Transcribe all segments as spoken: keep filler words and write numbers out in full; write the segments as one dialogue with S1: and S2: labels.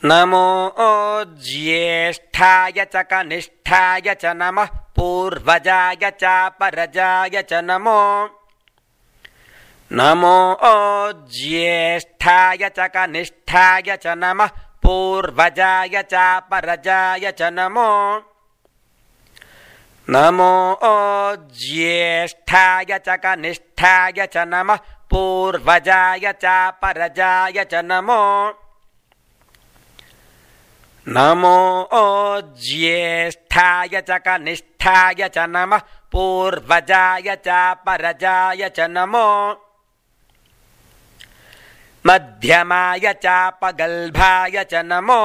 S1: नमो ज्येष्ठाय च कनिष्ठाय च नमः पूर्वजाय च परजाय च नमो नमो ज्येष्ठाय च कनिष्ठाय च नमः पूर्वजाय च परजाय च नमो नमो ज्येष्ठाय च कनिष्ठाय च नमः पूर्वजाय च परजाय च नमो नमो ज्येष्ठाय च कनिष्ठाय च नमः पूर्वजाय च परजाय च नमो मध्यमाय च पगल्भाय च नमो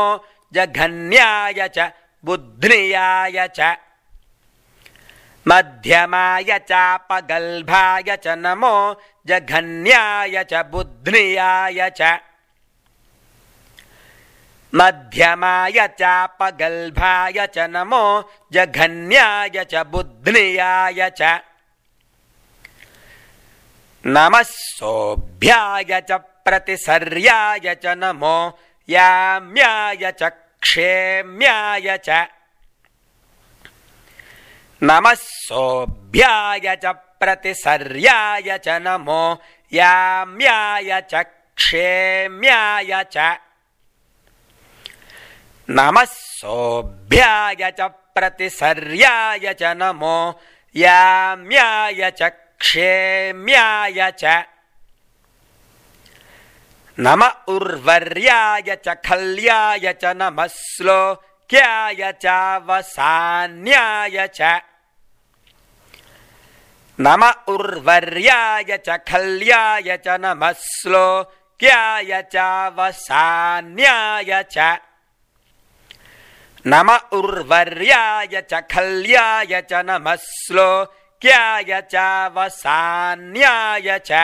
S1: जघन्याय च बुध्नियाय च मध्यमाय च पगल्भाय च नमो जघन्याय च बुध्नियाय च मध्यमाय च पगल्भाय च नमो जघन्याय च बुध्नियाय च नमः सोभ्याय च प्रतिसर्याय च नमो याम्याय च क्षेम्याय च नमः सोभ्याय च प्रतिसर्याय च नमो याम्याय च क्षेम्याय च नमः सोभ्याय च प्रतिसर्याय च नमो याम्याय च क्षेम्याय च नमः उर्वर्याय च खल्याय च नमः श्लोक्याय च वसान्याय च नमः उर्वर्याय च खल्याय च नमः श्लोक्याय च वसान्याय च नमः उर्वर्याय च खल्याय च नमः श्लोक्याय च वसान्याय च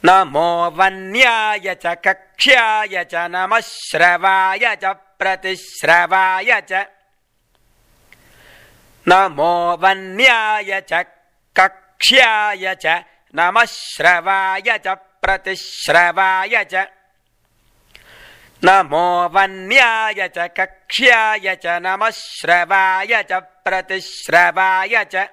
S1: नमो वन्याय च कक्ष्याय च नमः श्रवाय च प्रतिश्रवाय च नमो वन्याय च कक्ष्याय च नमः श्रवाय च प्रतिश्रवाय च नमो वन्याय च कक्ष्याय च नमः श्रवाय च प्रतिश्रवाय च